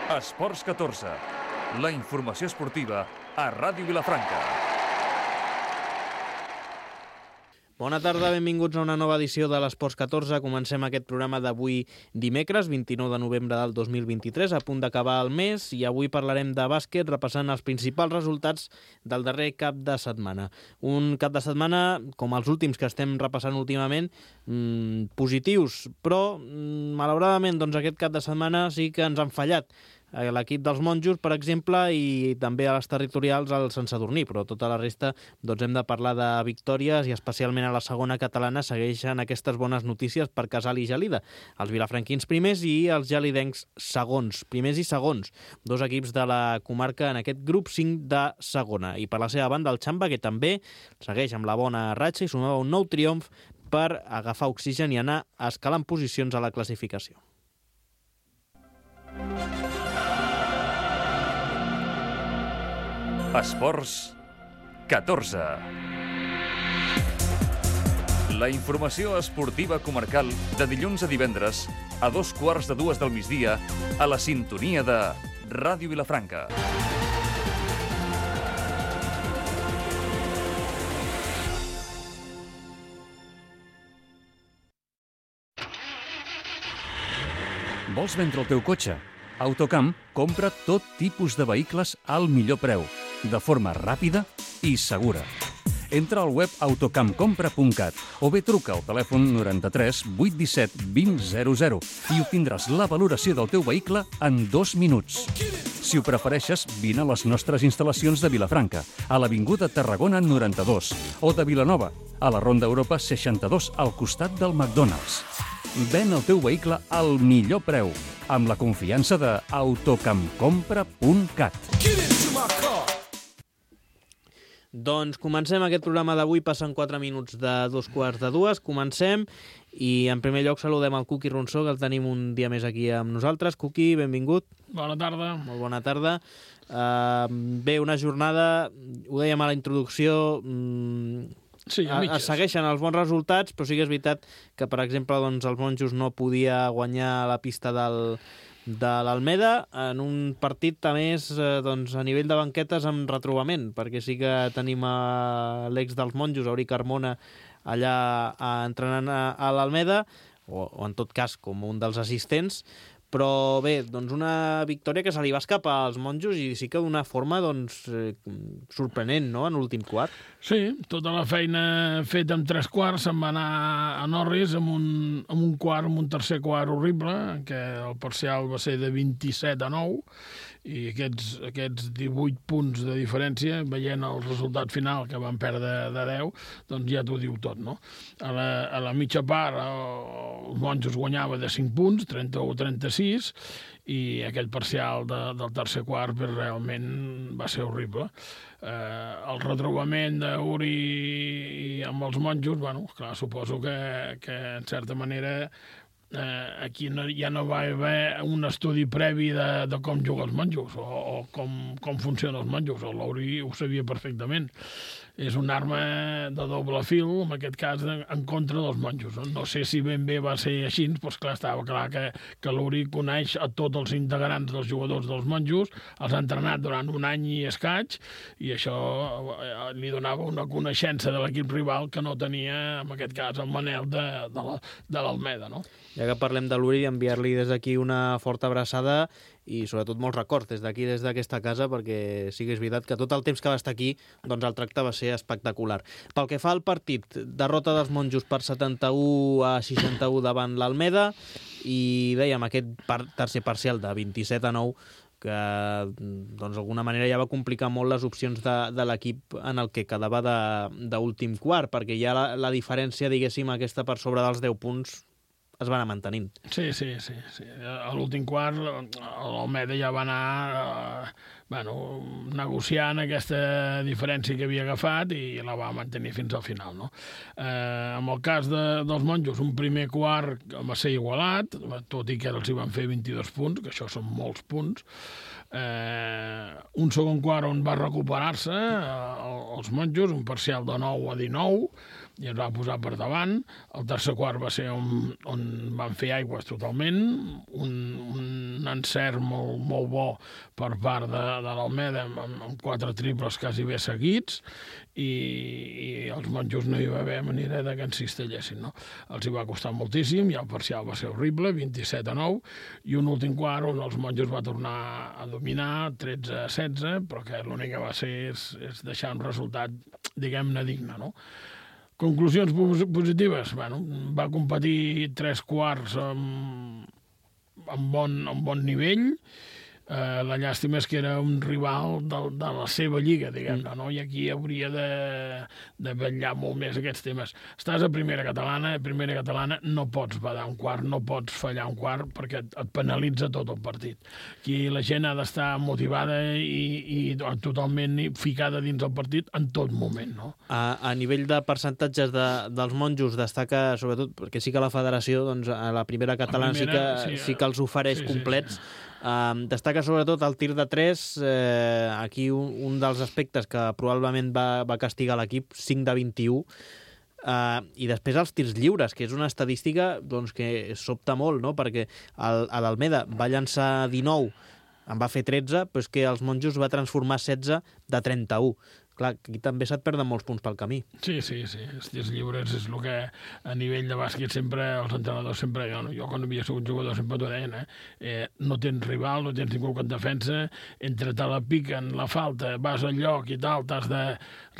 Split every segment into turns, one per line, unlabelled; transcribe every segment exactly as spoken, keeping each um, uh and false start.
Esports catorze, la informació esportiva a Ràdio Vilafranca.
Bona tarda, benvinguts a una nova edició de l'Esports catorze. Comencem aquest programa d'avui dimecres, vint-i-nou de novembre del dos mil vint-i-tres, a punt d'acabar el mes, i avui parlarem de bàsquet repassant els principals resultats del darrer cap de setmana. Un cap de setmana, com els últims que estem repassant últimament, mmm, positius, però mmm, malauradament doncs, aquest cap de setmana sí que ens han fallat. L'equip dels monjos, per exemple, i també a les territorials el Sant Sadurní, però tota la resta doncs hem de parlar de victòries, i especialment a la segona catalana segueixen aquestes bones notícies per Casal i Gelida. Els vilafranquins primers i els gelidencs segons, primers i segons, dos equips de la comarca en aquest grup cinc de segona. I per la seva banda el Xamba, que també segueix amb la bona ratxa i sumava un nou triomf per agafar oxigen i anar escalant posicions a la classificació.
Esports catorze. La informació esportiva comarcal de dilluns a divendres a dos quarts de dues del migdia a la sintonia de Ràdio Vilafranca. Vols vendre el teu cotxe? Autocamp compra tot tipus de vehicles al millor preu, de forma ràpida i segura. Entra al web autocampcompra punt cat o bé truca al telèfon noranta-tres vuit disset vint zero zero i obtindràs la valoració del teu vehicle en dos minuts. Si ho prefereixes, vine a les nostres instal·lacions de Vilafranca, a l'Avinguda Tarragona noranta-dos, o de Vilanova, a la Ronda Europa seixanta-dos, al costat del McDonald's. Ven el teu vehicle al millor preu, amb la confiança de autocampcompra punt cat.
Doncs comencem aquest programa d'avui, passen quatre minuts de dos quarts de dues, comencem, i en primer lloc saludem el Cuqui Ronsó, que el tenim un dia més aquí amb nosaltres. Cuqui, benvingut.
Bona tarda.
Molt bona tarda. Uh, bé, una jornada, ho dèiem a la introducció, um,
sí, a
es segueixen els bons resultats, però sí que és veritat que, per exemple, doncs, els monjos no podia guanyar la pista del... de l'Almeda en un partit a més eh, doncs, a nivell de banquetes amb retrobament, perquè sí que tenim a l'ex dels monjos, Auri Carmona, allà a, entrenant a, a l'Almeda, o, o en tot cas com un dels assistents, però bé, doncs una victòria que se li va escapar als monjos i sí que d'una forma doncs, eh, sorprenent, no?, en l'últim quart.
Sí, tota la feina feta en tres quarts se'n va anar a Norris amb un, amb un quart, amb un tercer quart horrible, que el parcial va ser de vint-i-set a nou, i aquests, aquests divuit punts de diferència, veient el resultat final, que van perdre de deu, doncs ja t'ho diu tot, no? A la, a la mitja part, els monjos guanyava de cinc punts, trenta-u a trenta-sis, i aquell parcial de, del tercer quart realment va ser horrible. Eh, el retrobament d'Uri amb els monjos, bueno, clar, suposo que, que en certa manera eh, aquí no, ja no va haver un estudi previ de, de com juguen els monjos o, o com, com funcionen els monjos. L'Uri ho sabia perfectament. És una arma de doble fil, en aquest cas, en contra dels monjos. No sé si ben bé va ser així, però clar, estava clar que, que l'Uri coneix a tots els integrants dels jugadors dels monjos, els ha entrenat durant un any i escaig, i això li donava una coneixença de l'equip rival que no tenia, en aquest cas, el Manel de, de l'Almeda, no?
Ja que parlem de l'Uri, enviar-li des d'aquí una forta abraçada i sobretot molts records des d'aquí, des d'aquesta casa, perquè sí que és veritat que tot el temps que va estar aquí doncs el tracte va ser espectacular. Pel que fa al partit, derrota dels monjos per setanta-u a seixanta-u davant l'Almeda, i dèiem aquest par tercer parcial de vint-i-set a nou que doncs d'alguna manera ja va complicar molt les opcions de, de l'equip en el que quedava d'últim quart, perquè ja la, la diferència, diguéssim, aquesta per sobre dels deu punts es va anar mantenint.
Sí, sí, sí. sí. A l'últim quart l'Almeda ja va anar eh, bueno, negociant aquesta diferència que havia agafat i la va mantenir fins al final, no? Eh, en el cas de, dels monjos, un primer quart va ser igualat, tot i que els hi van fer vint-i-dos punts, que això són molts punts. Eh, un segon quart on va recuperar-se eh, els monjos, un parcial de nou a dinou, i ens va posar per davant. El tercer quart va ser on, on van fer aigües totalment, un, un encert molt, molt bo per part de, de l'Almeda, amb, amb quatre triples quasi bé seguits, i, i els monjos no hi va haver manera de que ens cistellessin, no? Els hi va costar moltíssim, i el parcial va ser horrible, vint-i-set a nou, i un últim quart on els monjos va tornar a dominar, tretze a setze, però que l'únic que va ser és, és deixar un resultat, diguem-ne, digne, no? Conclusions positives? Bueno, va competir tres quarts amb, amb, bon, amb bon nivell. Eh, la llàstima és que era un rival de, de la seva lliga, diguem-ne, no? I aquí hauria de, de vetllar molt més aquests temes. Estàs a primera catalana, a primera catalana no pots badar un quart, no pots fallar un quart, perquè et, et penalitza tot el partit. Aquí la gent ha d'estar motivada i, i totalment ficada dins el partit en tot moment, no?
A, a nivell de percentatges de, dels monjos destaca, sobretot, perquè sí que la federació, doncs, a la primera catalana la primera, sí, que, sí, sí que els ofereix sí, complets. Sí, sí. Um, destaca sobretot el tir de tres, eh, aquí un, un dels aspectes que probablement va, va castigar l'equip, cinc de vint-i-u, uh, i després els tirs lliures, que és una estadística doncs, que sobta molt, no? Perquè l'Almeda va llançar dinou, en va fer tretze, però és que els monjos va transformar setze de trenta-u. Clar, aquí també se't perden molts punts pel camí.
Sí, sí, sí. Els tirs lliures és el que a nivell de bàsquet sempre, els entrenadors sempre, jo, jo quan havia sigut jugador sempre t'ho deien, eh? eh? No tens rival, no tens ningú que et defensa, entre te la piquen, la falta, vas al lloc i tal, t'has de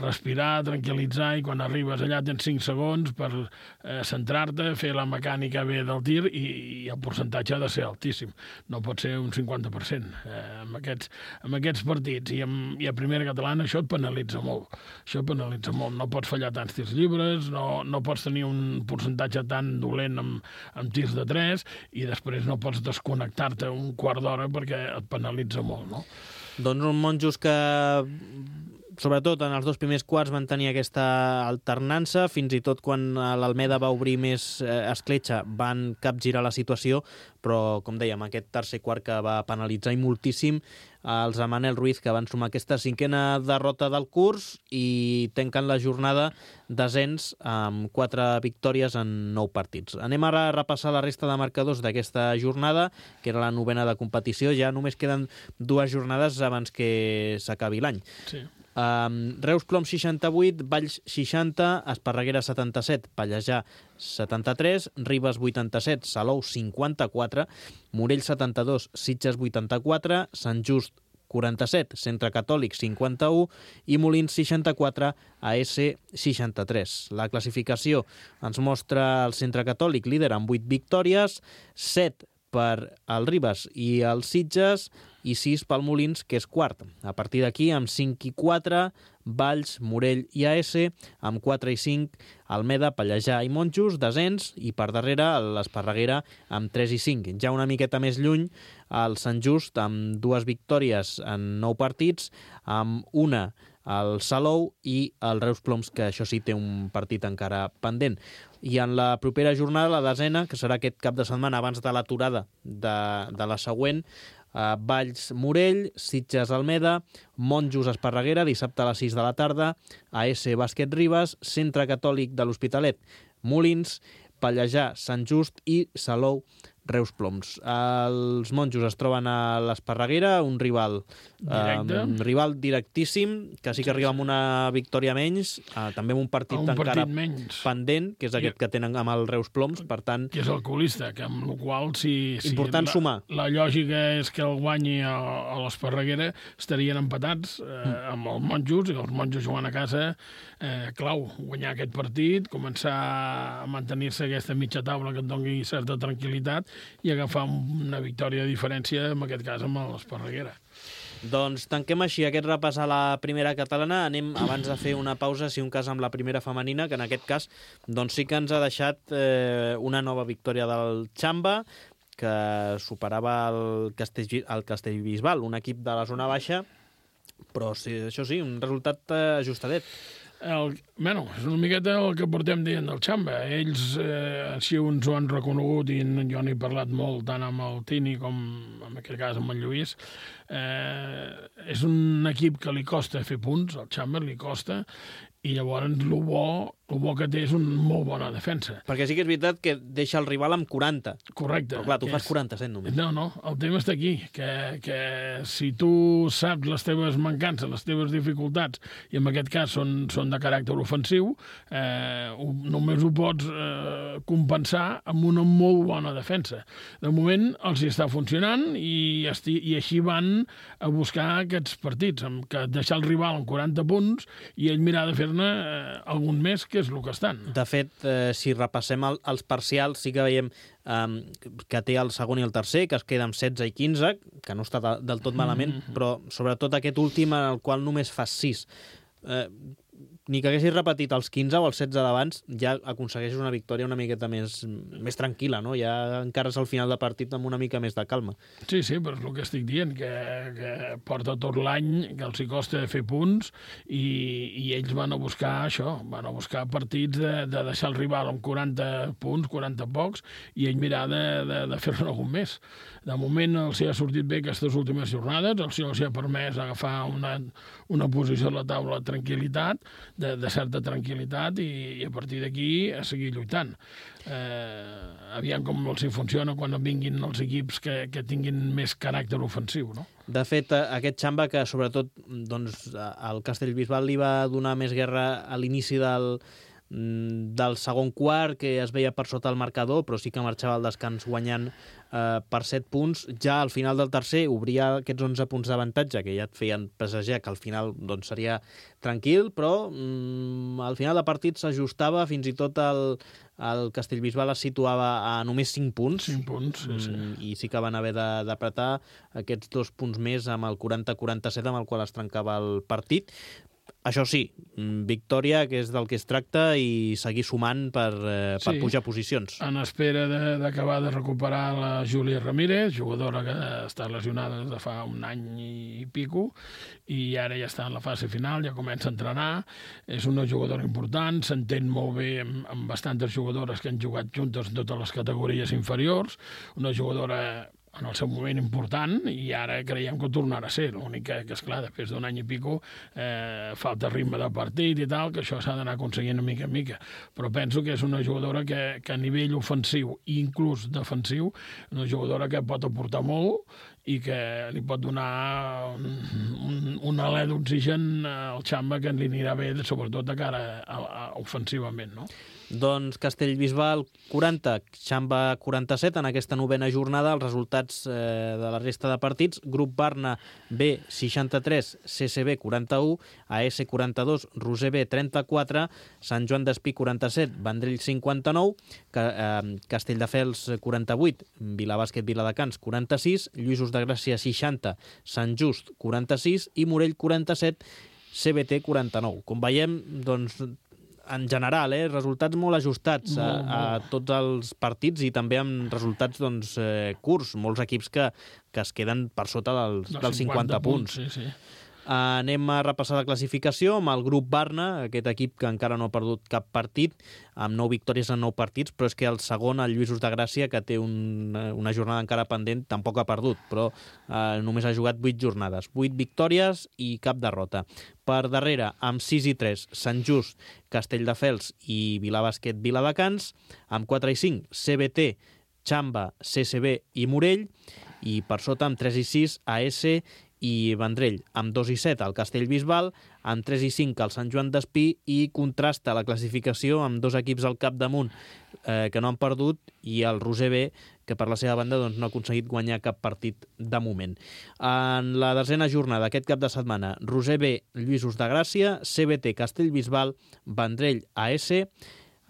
respirar, tranquil·litzar, i quan arribes allà tens cinc segons per eh, centrar-te, fer la mecànica bé del tir, i, i el percentatge ha de ser altíssim. No pot ser un cinquanta per cent. Eh, amb, aquests, amb aquests partits i, amb, i a primera catalana això et penalitza molt. Això penalitza molt. No pots fallar tants tirs lliures, no, no pots tenir un percentatge tan dolent amb, amb tirs de tres, i després no pots desconnectar-te un quart d'hora perquè et penalitza molt, no?
Doncs uns monjos que, sobretot en els dos primers quarts, van tenir aquesta alternança, fins i tot quan l'Almeda va obrir més eh, escletxa van capgirar la situació, però, com dèiem, aquest tercer quart que va penalitzar i moltíssim els de Manel Ruiz, que van sumar aquesta cinquena derrota del curs i tanquen la jornada desens amb quatre victòries en nou partits. Anem ara a repassar la resta de marcadors d'aquesta jornada, que era la novena de competició. Ja només queden dues jornades abans que s'acabi l'any.
Sí.
Um, Reus Plom seixanta-vuit, Valls seixanta, Esparreguera setanta-set, Pallejà setanta-tres, Ribes vuitanta-set, Salou cinquanta-quatre, Morell setanta-dos, Sitges vuitanta-quatre, Sant Just quaranta-set, Centre Catòlic cinquanta-u i Molins seixanta-quatre, A S seixanta-tres. La classificació ens mostra el Centre Catòlic líder amb vuit victòries, set per el Ribes i el Sitges i sis pel Molins, que és quart. A partir d'aquí, amb cinc i quatre, Valls, Morell i A S, amb quatre i cinc, Almeda, Pallejà i Monjos, desens, i per darrere l'Esparreguera amb tres i cinc. Ja una miqueta més lluny, el Sant Just amb dues victòries en nou partits, amb una el Salou i el Reus Ploms, que això sí té un partit encara pendent. I en la propera jornada, la desena, que serà aquest cap de setmana abans de l'aturada de, de la següent, uh, Valls Morell, Sitges Almeda, Monjos Esparreguera, dissabte a les sis de la tarda, A S Bàsquet Ribes, Centre Catòlic de l'Hospitalet, Molins, Pallejà, Sant Just i Salou Reus Ploms. Els monjos es troben a l'Esparreguera, un rival
Directe.
um, rival directíssim, que sí que arriba amb una victòria menys, uh, també amb un partit
un
encara
partit menys.
pendent, que és aquest
I,
que tenen amb el Reus Ploms, per tant...
Que és el colista, que amb la qual si, si
important
la,
sumar.
La lògica és que el guanyi a, a l'Esparreguera estarien empatats eh, mm. amb els monjos, i els monjos jugant a casa, eh, clau, guanyar aquest partit, començar a mantenir-se aquesta mitja taula que et doni certa tranquil·litat i agafar una victòria de diferència, en aquest cas amb l'Esparreguera.
Doncs tanquem així aquest repàs a la primera catalana. Anem, abans de fer una pausa, si un cas amb la primera femenina, que en aquest cas doncs sí que ens ha deixat eh, una nova victòria del Xamba, que superava el, Castell, el Castellbisbal, un equip de la zona baixa, però sí, això sí, un resultat eh, ajustadet.
El, bueno, és una miqueta el que portem dient del Xamba. Ells eh, així uns ho han reconegut i jo n'he parlat molt tant amb el Tini com en aquest cas amb el Lluís. Eh, és un equip que li costa fer punts, el Xamba li costa, i llavors el bo, el bo que té és una molt bona defensa.
Perquè sí que és veritat que deixa el rival amb quaranta.
Correcte.
Però clar, tu fas
és...
quaranta-set només.
No, no, el tema està aquí, que, que si tu saps les teves mancances, les teves dificultats, i en aquest cas són, són de caràcter ofensiu, eh, només ho pots eh, compensar amb una molt bona defensa. De moment els hi està funcionant i, esti, i així van a buscar aquests partits, amb que deixar el rival amb quaranta punts i ell mirar de fer-ne eh, algun més, que és el que estan.
De fet, eh, si repassem el, els parcials, sí que veiem eh, que té el segon i el tercer, que es queda amb setze i quinze, que no està de, del tot malament, mm-hmm. però sobretot aquest últim en el qual només fas sis. Eh, ni que haguessis repetit els quinze o els setze d'abans, ja aconsegueixes una victòria una miqueta més, més tranquil·la, no? Ja encara és al final de partit amb una mica més de calma.
Sí, sí, però és el que estic dient, que, que porta tot l'any, que els hi costa fer punts, i, i ells van a buscar això, van a buscar partits de, de deixar el rival amb quaranta punts, quaranta pocs, i ell mirar de, de, de fer-ne algun més. De moment els hi ha sortit bé aquestes últimes jornades, els hi ha permès agafar una, una posició a la taula de tranquil·litat, de, de certa tranquil·litat, i, i a partir d'aquí a seguir lluitant. Eh, aviam com els hi funciona quan vinguin els equips que, que tinguin més caràcter ofensiu, no?
De fet, aquest Xamba, que sobretot doncs, al Castellbisbal li va donar més guerra a l'inici del, del segon quart, que es veia per sota el marcador, però sí que marxava al descans guanyant eh, per set punts. Ja al final del tercer obria aquests onze punts d'avantatge, que ja et feien presagiar que al final doncs, seria tranquil, però mm, al final de partit s'ajustava, fins i tot el, el Castellbisbal es situava a només cinc punts,
cinc punts sí, sí.
Mm, i sí que van haver d'apretar aquests dos punts més amb el quaranta quaranta-set amb el qual es trencava el partit. Això sí, victòria, que és del que es tracta, i seguir sumant per, eh, per
sí,
pujar posicions.
En espera d'acabar de, de recuperar la Júlia Ramírez, jugadora que està lesionada des de fa un any i pico, i ara ja està en la fase final, ja comença a entrenar. És una jugadora important, s'entén molt bé amb, amb bastantes jugadores que han jugat juntes en totes les categories inferiors, una jugadora en el seu moment important, i ara creiem que ho tornarà a ser. L'únic que, que esclar, després d'un any i pico eh, falta ritme de partit i tal, que això s'ha d'anar aconseguint mica en mica. Però penso que és una jugadora que, que a nivell ofensiu i inclús defensiu, una jugadora que pot aportar molt i que li pot donar un, un, un alè d'oxigen al Xamba, que li anirà bé, sobretot de cara a, a, a ofensivament, no?
Doncs Castellbisbal quaranta, Xamba quaranta-set en aquesta novena jornada. Els resultats eh, de la resta de partits: Grup Barna B seixanta-tres, C C B quaranta-u, A S quaranta-dos, Roser B trenta-quatre, Sant Joan d'Espí quaranta-set, Vendrell cinquanta-nou, eh, Castelldefels quaranta-vuit, Vilabàsquet Viladecans quaranta-sis, Lluïsos de Gràcia seixanta, Sant Just quaranta-sis i Morell quaranta-set, C B T quaranta-nou. Com veiem, doncs, en general, eh, resultats molt ajustats a, a tots els partits, i també amb resultats doncs, eh, curts. Molts equips que, que es queden per sota dels, dels cinquanta punts.
Sí, sí.
Uh, anem a repassar la classificació amb el grup Barna, aquest equip que encara no ha perdut cap partit, amb nou victòries en nou partits, però és que el segon, el Lluïsos de Gràcia, que té un, una jornada encara pendent, tampoc ha perdut, però uh, només ha jugat vuit jornades. vuit victòries i cap derrota. Per darrere, amb sis i tres, Sant Just, Castelldefels i Vilabàsquet Viladecans, amb quatre i cinc, C B T, Xamba, C C B i Morell, i per sota, amb tres i sis, A S i Vendrell, amb dos i set el Castellbisbal, amb tres i cinc el Sant Joan d'Espí, i contrasta la classificació amb dos equips al capdamunt eh, que no han perdut, i el Roser B, que per la seva banda doncs, no ha aconseguit guanyar cap partit de moment. En la desena jornada, aquest cap de setmana, Roser B, Lluïsos de Gràcia, C B T, Castellbisbal, Vendrell, A S,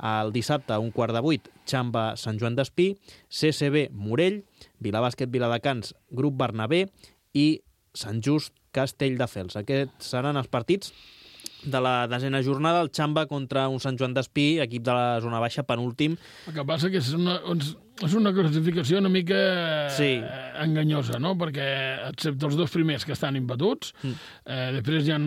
el dissabte, un quart de vuit, Xamba, Sant Joan d'Espí, C C B, Morell, Vilabàsquet Viladecans, Grup Barna B i Sant Just, Castelldefels. Aquests seran els partits de la desena jornada. El Xamba contra un Sant Joan d'Espí, equip de la zona baixa, penúltim.
El que passa que és una, és una classificació una mica
sí.
enganyosa, no? Perquè, excepte els dos primers que estan imbatuts, mm. eh, després hi ha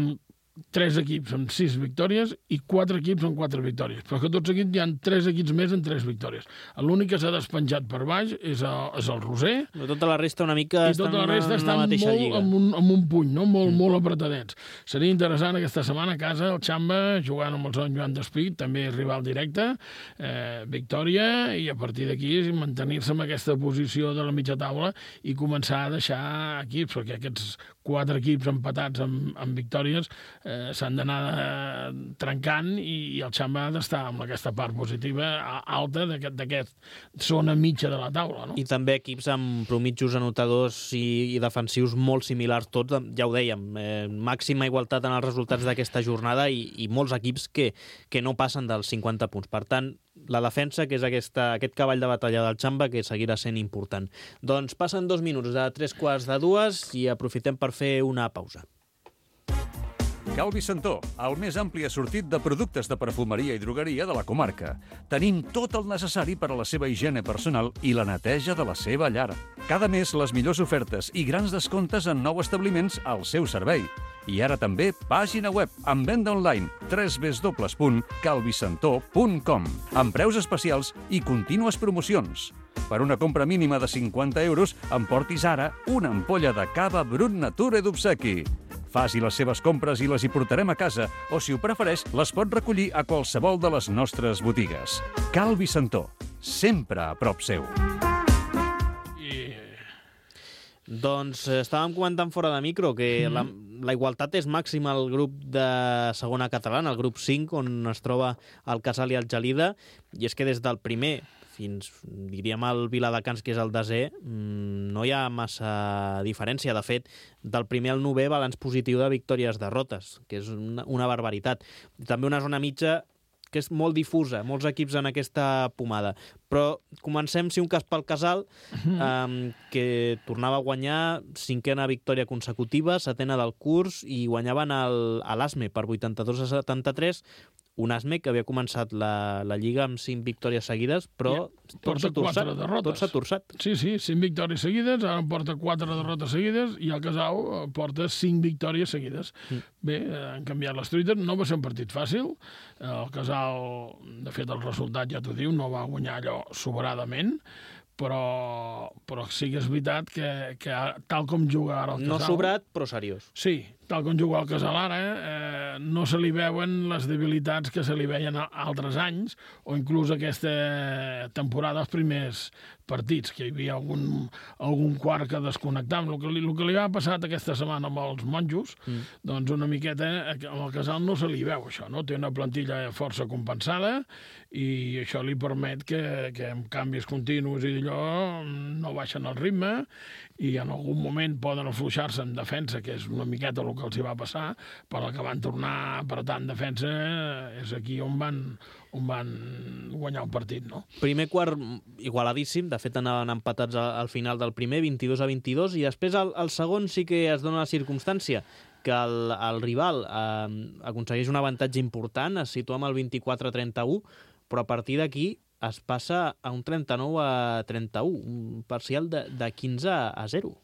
tres equips amb sis victòries i quatre equips amb quatre victòries. Però que tots equips hi ha tres equips més amb tres victòries. L'únic que s'ha despenjat per baix és el, és el Roser.
Però tota la resta una mica
I tota la resta
en
està
la mateixa
molt,
lliga.
amb, un, amb un puny, no? molt, mm. molt apretadets. Seria interessant aquesta setmana a casa el Xamba jugant amb el Sant Joan d'Espí, també rival directe, eh, victòria, i a partir d'aquí mantenir-se en aquesta posició de la mitja taula i començar a deixar equips, perquè aquests quatre equips empatats amb, amb victòries eh, s'han d'anar eh, trencant i, i el Xamba ha d'estar amb aquesta part positiva alta d'aquesta aquest, zona mitja de la taula. No?
I també equips amb promitjos anotadors i, i defensius molt similars tots, ja ho dèiem, eh, màxima igualtat en els resultats d'aquesta jornada i, i molts equips que, que no passen dels cinquanta punts. Per tant, la defensa, que és aquesta, aquest cavall de batalla del Xamba, que seguirà sent important. Doncs passen dos minuts de tres quarts de dues i aprofitem per fer una pausa.
Calvi Santó, el més ampli assortit de productes de perfumeria i drogueria de la comarca. Tenim tot el necessari per a la seva higiene personal i la neteja de la seva llar. Cada mes les millors ofertes i grans descomptes en nous establiments al seu servei. I ara també pàgina web amb venda online w w w punt calvisantó punt com amb preus especials i contínues promocions. Per una compra mínima de cinquanta euros, emportis ara una ampolla de cava Brut Nature d'obsequi. Faci les seves compres i les hi portarem a casa, o si ho prefereix, les pot recollir a qualsevol de les nostres botigues. Calvi Santó, sempre a prop seu.
I...
Doncs eh, estàvem comentant fora de micro que mm. la, la igualtat és màxima al grup de segona catalana, el grup cinc, on es troba el Casal i el Gelida, i és que des del primer fins, diríem, el Viladecans, que és el desè, no hi ha massa diferència. De fet, del primer al novè, balanç positiu de victòries-derrotes, que és una, una barbaritat. També una zona mitja que és molt difusa, molts equips en aquesta pomada. Però comencem, si un cas pel Casal, eh, que tornava a guanyar cinquena victòria consecutiva, setena del curs, i guanyaven el, a l'Asme per vuitanta-dos a setanta-tres, un Asme que havia començat la, la Lliga amb cinc victòries seguides, però ja, tot s'ha torçat. Tot s'ha torçat.
Sí, sí, cinc victòries seguides, ara en porta quatre derrotes seguides, i el Casal porta cinc victòries seguides. Mm. Bé, han canviat les truites, no va ser un partit fàcil, el Casal, de fet, el resultat ja t'ho diu, no va guanyar allò sobradament, però, però sí que és veritat que, que tal com juga ara el Casal...
No sobrat, però seriós.
Sí, tal com juga el Casal ara, eh, no se li veuen les debilitats que se li veien altres anys, o inclús aquesta temporada, els primers partits, que hi havia algun, algun quart que desconnectava. El que, li, el que li ha passat aquesta setmana amb els monjos, mm. doncs una miqueta, amb el Casal no se li veu això, no? Té una plantilla força compensada i això li permet que, que amb canvis continus i d'allò no baixen el ritme i en algun moment poden afluixar-se en defensa, que és una miqueta el que els hi va passar, però el que van tornar a apretar en defensa és aquí on van, on van guanyar el partit, no?
Primer quart igualadíssim, de fet anaven empatats al final del primer, vint-i-dos a vint-i-dos, i després el, el segon sí que es dona la circumstància que el, el rival eh, aconsegueix un avantatge important, es situa amb el vint-i-quatre a trenta-u, però a partir d'aquí es passa a un trenta-nou a trenta-u, un parcial de, de quinze a zero.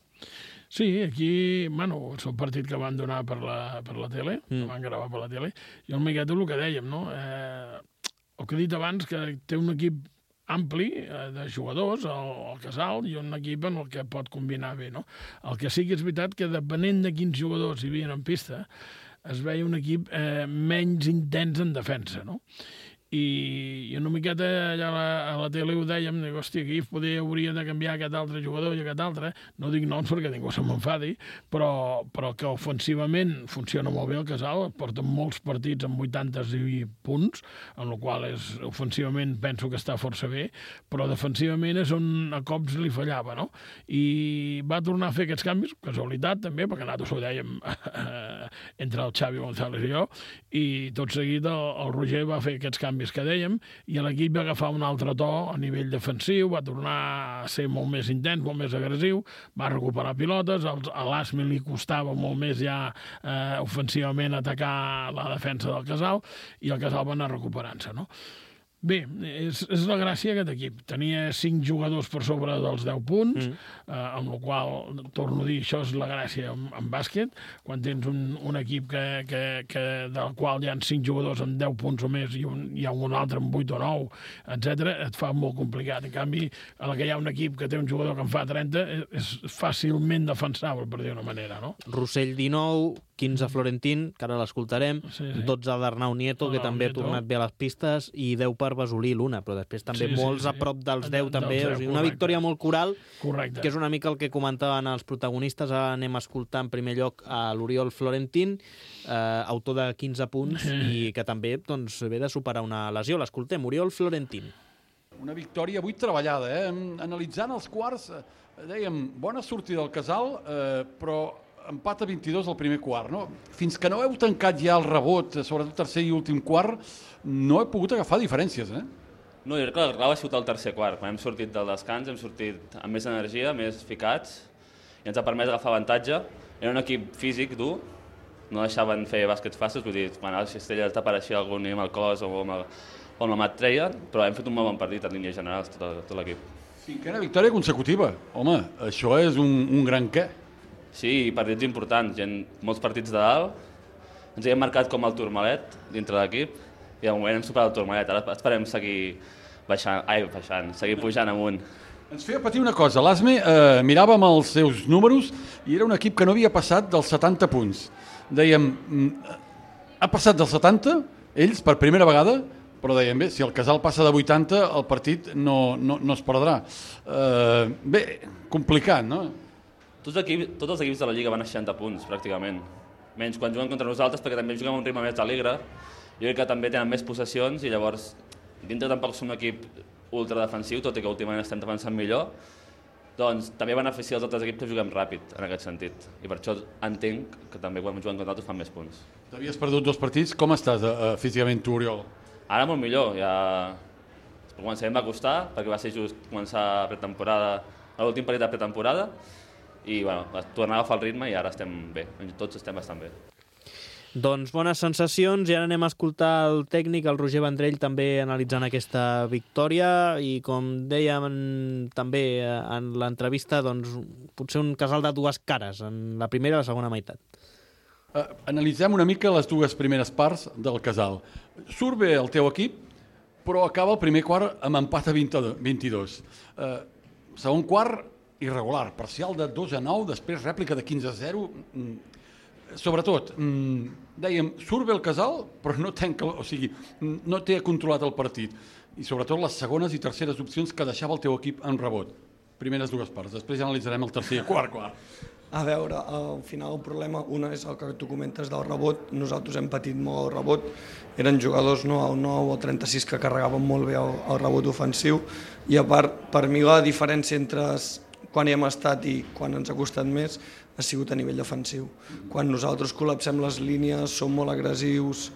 Sí, aquí, bueno, és el partit que van donar per la, per la tele, mm. que van gravar per la tele, i el miqueta el que dèiem, no? Eh, el que he dit abans, que té un equip ampli eh, de jugadors, el, el Casal, i un equip en el que pot combinar bé, no? El que sí que és veritat que depenent de quins jugadors hi havia en pista, es veia un equip eh, menys intens en defensa, no? I, i una miqueta allà a la, a la tele ho dèiem, dic, hòstia, aquí poder, hauria de canviar aquest altre jugador i aquest altre, no dic noms perquè ningú se m'enfadi, però, però que ofensivament funciona molt bé el Casal, porta molts partits amb vuitanta i punts, en el qual és, ofensivament penso que està força bé, però defensivament és on a cops li fallava, no? I va tornar a fer aquests canvis, casualitat també, perquè nosaltres ho dèiem entre el Xavi González i jo, i tot seguit el, el Roger va fer aquests canvis que dèiem, i l'equip va agafar un altre to a nivell defensiu, va tornar a ser molt més intens, molt més agressiu, va recuperar pilotes, a l'Asme li costava molt més ja eh, ofensivament atacar la defensa del Casal, i el Casal va anar recuperant-se, no? Bé, és, és la gràcia aquest equip. Tenia cinc jugadors per sobre dels deu punts, mm. eh, amb la qual, torno a dir, això és la gràcia en, en bàsquet. Quan tens un, un equip que, que, que, del qual hi ha cinc jugadors amb deu punts o més i un, hi ha un altre amb vuit o nou, etcètera, et fa molt complicat. En canvi, a la que hi ha un equip que té un jugador que en fa trenta, és fàcilment defensable, per dir una manera, no?
Rossell dinou, quinze Florentín, que ara l'escoltarem, sí, sí. dotze d'Arnau Nieto, que també Nieto. ha tornat bé a les pistes, i deu per Basolí, l'una, però després també sí, molts sí, sí. a prop dels deu també, deu, o sigui, una correcte. victòria molt coral, correcte. que és una mica el que comentaven els protagonistes. Ara anem a escoltar en primer lloc a l'Oriol Florentín, eh, autor de quinze punts, sí. i que també doncs, ve de superar una lesió. L'escoltem, Oriol Florentín.
Una victòria avui treballada, eh? Analitzant els quarts, dèiem, bona sortida del Casal, eh, però empat a vint-i-dos al primer quart, no? Fins que no heu tancat ja el rebot, sobretot tercer i últim quart, no he pogut agafar diferències, eh?
No, jo crec que la clau ha sigut el tercer quart. Quan hem sortit del descans, hem sortit amb més energia, més ficats, i ens ha permès agafar avantatge. Era un equip físic dur, no deixaven fer bàsquets fàcils, vull dir, quan a la cistella t'apareixia algun amb el cos o amb, el, o amb la mà et treien, però hem fet un molt bon partit en línies generals, tot, tot l'equip.
Cinquena victòria consecutiva. Home, això és un, un gran què.
Sí, partits importants, gent, molts partits de dalt. Ens hem marcat com el Tourmalet dintre l'equip i de moment hem superat el Tourmalet. Ara esperem seguir baixant, ai, baixant, seguir pujant amunt.
Ens feia patir una cosa. L'Asme eh, miràvem els seus números i era un equip que no havia passat dels setanta punts. Dèiem, ha passat dels setanta, ells, per primera vegada, però dèiem, bé, si el Casal passa de vuitanta, el partit no, no, no es perdrà. Eh, bé, complicat, no?
Tots, equips, tots els equips de la Lliga van a seixanta punts, pràcticament. Menys quan juguen contra nosaltres, perquè també juguem a un ritme més alegre. Jo crec que també tenen més possessions i llavors, dintre tampoc som un equip ultradefensiu, tot i que últimament estem defensant millor, doncs també beneficia els altres equips que juguem ràpid, en aquest sentit. I per això entenc que també quan juguen contra altres fan més punts.
T'havies perdut dos partits. Com estàs uh, físicament tu, Oriol?
Ara molt millor. Ja... Començarem a costar, perquè va ser just començar pretemporada, l'últim partit de pretemporada, i bueno, tornar a agafar el ritme i ara estem bé, tots estem bastant bé.
Doncs bones sensacions, i ara anem a escoltar el tècnic, el Roger Vendrell, també analitzant aquesta victòria, i com dèiem en, també en l'entrevista, doncs potser un Casal de dues cares, en la primera i la segona meitat.
Uh, analitzem una mica les dues primeres parts del Casal. Surt bé el teu equip, però acaba el primer quart amb empat a vint-i-dos. Uh, segon quart, irregular, parcial de dos a nou, després rèplica de quinze a zero. Sobretot, dèiem, surt bé el Casal, però no, tanca, o sigui, no té controlat el partit. I sobretot les segones i terceres opcions que deixava el teu equip en rebot. Primeres dues parts, després ja analitzarem el tercer i quart quart.
A veure, al final el problema, una és el que tu comentes del rebot, nosaltres hem patit molt el rebot, eren jugadors no, al nou o trenta-sis que carregaven molt bé el, el rebot ofensiu, i a part, per mi la diferència entre quan hi hem estat i quan ens ha costat més ha sigut a nivell defensiu. Quan nosaltres col·lapsem les línies, som molt agressius,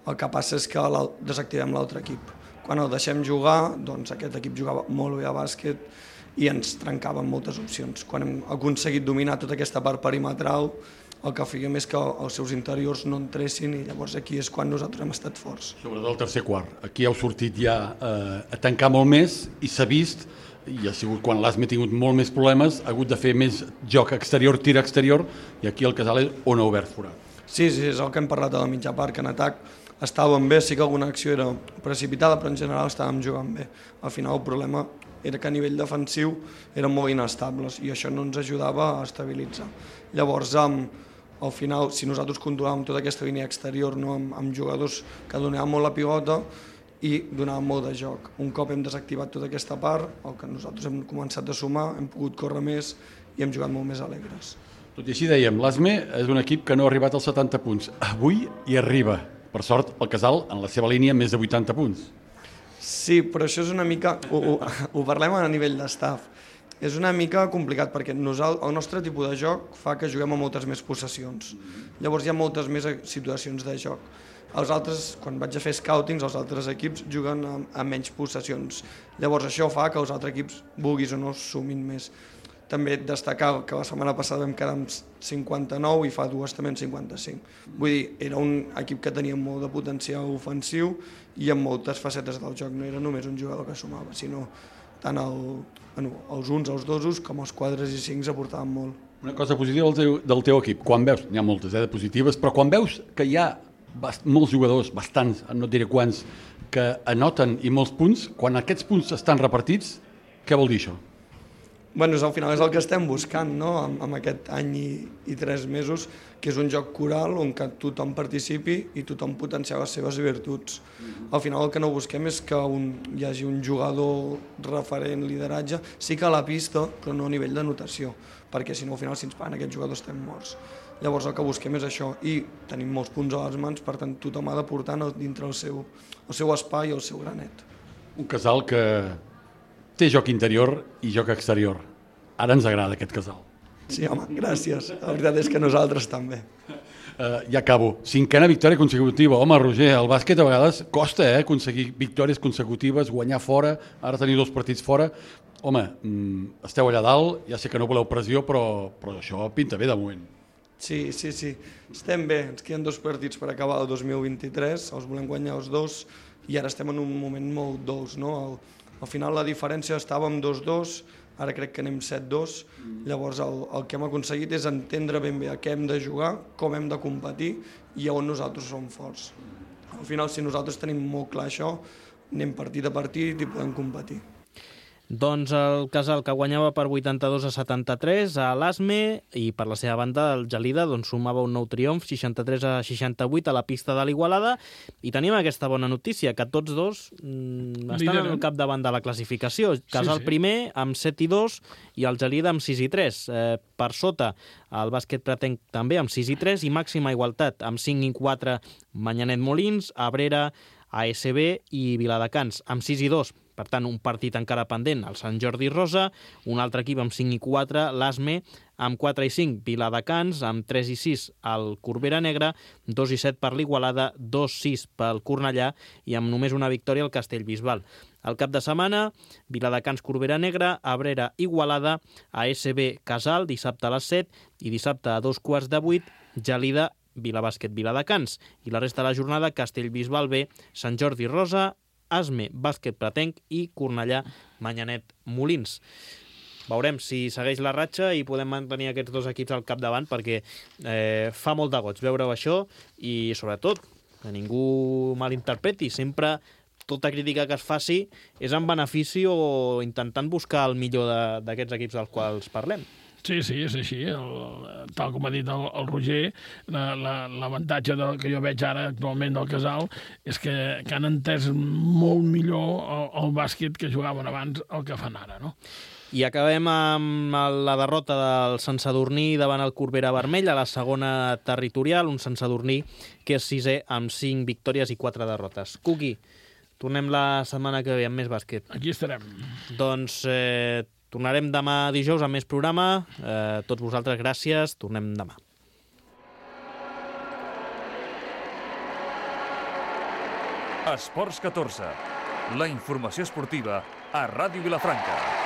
el que passa és que desactivem l'altre equip. Quan el deixem jugar, doncs aquest equip jugava molt bé a bàsquet i ens trencaven moltes opcions. Quan hem aconseguit dominar tota aquesta part perimetral, el que fèiem és que els seus interiors no entressin, i llavors aquí és quan nosaltres hem estat forts.
Sobretot el tercer quart. Aquí heu sortit ja eh, a tancar molt més i s'ha vist, i ha sigut quan l'Asme ha tingut molt més problemes, ha hagut de fer més joc exterior, tir exterior, i aquí el Casal és on ha obert forat.
Sí, sí, és el que hem parlat a la mitja part, que en atac estàvem bé, sí que alguna acció era precipitada, però en general estàvem jugant bé. Al final el problema era que a nivell defensiu eren molt inestables i això no ens ajudava a estabilitzar. Llavors, al final, si nosaltres controlàvem tota aquesta línia exterior, no, amb, amb jugadors que donaven molt la pilota i donaven molt de joc. Un cop hem desactivat tota aquesta part, el que nosaltres hem començat a sumar, hem pogut córrer més i hem jugat molt més alegres.
Tot i així dèiem, l'Asme és un equip que no ha arribat als setanta punts. Avui hi arriba. Per sort, el Casal, en la seva línia, més de vuitanta punts.
Sí, però això és una mica... Ho, ho, ho parlem a nivell d'estaf. És una mica complicat perquè nosaltres, el nostre tipus de joc fa que juguem a moltes més possessions. Llavors hi ha moltes més situacions de joc. Els altres, quan vaig a fer scoutings, els altres equips juguen a, a menys possessions. Llavors això fa que els altres equips, vulguis o no, sumin més. També destacar que la setmana passada vam quedar amb cinquanta-nou i fa dues també en cinquanta-cinc. Vull dir, era un equip que tenia molt de potencial ofensiu i amb moltes facetes del joc. No era només un jugador que sumava, sinó tant el, bueno, els uns, els dosos, com els quadres i cincs aportaven molt.
Una cosa positiva del teu, del teu equip, quan veus, n'hi ha moltes eh, de positives, però quan veus que hi ha bast, molts jugadors, bastants, no et diré quants, que anoten i molts punts, quan aquests punts estan repartits, què vol dir això?
Bueno, al final és el que estem buscant, no?, amb, amb aquest any i, i tres mesos, que és un joc coral on que tothom participi i tothom potenciar les seves virtuts. Al final el que no busquem és que un, hi hagi un jugador referent, lideratge, sí que a la pista, però no a nivell de notació, perquè si no al final si ens paguen aquests jugadors estem morts. Llavors el que busquem és això, i tenim molts punts a les mans, per tant tothom ha de portar dintre el seu, el seu espai i el seu granet.
Un casal que té joc interior i joc exterior. Ara ens agrada aquest casal.
Sí, home, gràcies. La veritat és que nosaltres també.
Uh, ja acabo. Cinquena victòria consecutiva. Home, Roger, el bàsquet a vegades costa eh, aconseguir victòries consecutives, guanyar fora, ara tenir dos partits fora. Home, mm, esteu allà dalt, ja sé que no voleu pressió, però, però això pinta bé de moment.
Sí, sí, sí. Estem bé. Ens queden dos partits per acabar el dos mil vint-i-tres, els volem guanyar els dos, i ara estem en un moment molt dolç, no? Al, al final la diferència estàvem dos dos, ara crec que anem set dos, llavors el, el que hem aconseguit és entendre ben bé a què hem de jugar, com hem de competir i on nosaltres som forts. Al final, si nosaltres tenim molt clar això, anem partit a partit i podem competir.
Doncs el Casal, que guanyava per vuitanta-dos a setanta-tres a l'Asme, i per la seva banda el Gelida doncs, sumava un nou triomf, seixanta-tres a seixanta-vuit a la pista de l'Igualada, i tenim aquesta bona notícia, que tots dos mmm, estan al capdavant de la classificació. Casal sí, sí. primer amb set i dos i el Gelida amb sis i tres. Eh, per sota el bàsquet pretenc també amb sis i tres i màxima igualtat amb cinc i quatre Manyanet Molins, Abrera, A S B i Viladecans amb sis i dos. Per tant, un partit encara pendent, el Sant Jordi Rosa, un altre equip amb cinc i quatre, l'Asme, amb quatre i cinc, Viladecans, amb tres i sis, el Corbera Negra, dos i set per l'Igualada, dos i sis pel Cornellà i amb només una victòria el Castellbisbal. El cap de setmana, Viladecans, Corbera Negra, Abrera, Igualada, A S B, Casal, dissabte a les set i dissabte a dos quarts de vuit, Gelida, Vilabàsquet, Viladecans. I la resta de la jornada, Castellbisbal B, Sant Jordi Rosa, Asme, Bàsquet Pretenc i Cornellà, Manyanet Molins. Veurem si segueix la ratxa i podem mantenir aquests dos equips al capdavant, perquè eh, fa molt de goig veure-ho això i, sobretot, que ningú malinterpreti. Sempre tota crítica que es faci és en benefici o intentant buscar el millor d'aquests equips dels quals parlem.
Sí, sí, és així. El, tal com ha dit el, el Roger, l'avantatge la, que jo veig ara actualment del Casal és que, que han entès molt millor el, el bàsquet que jugaven abans el que fan ara, no?
I acabem amb la derrota del Sant Sadurní davant el Corbera Vermell a la segona territorial, un Sant Sadurní que és sisè amb cinc victòries i quatre derrotes. Cuqui, tornem la setmana que ve amb més bàsquet.
Aquí estarem.
Doncs eh, tornarem demà dijous amb més programa. Eh, tots vosaltres, gràcies. Tornem demà.
Esports catorze. La informació esportiva a Ràdio Vilafranca.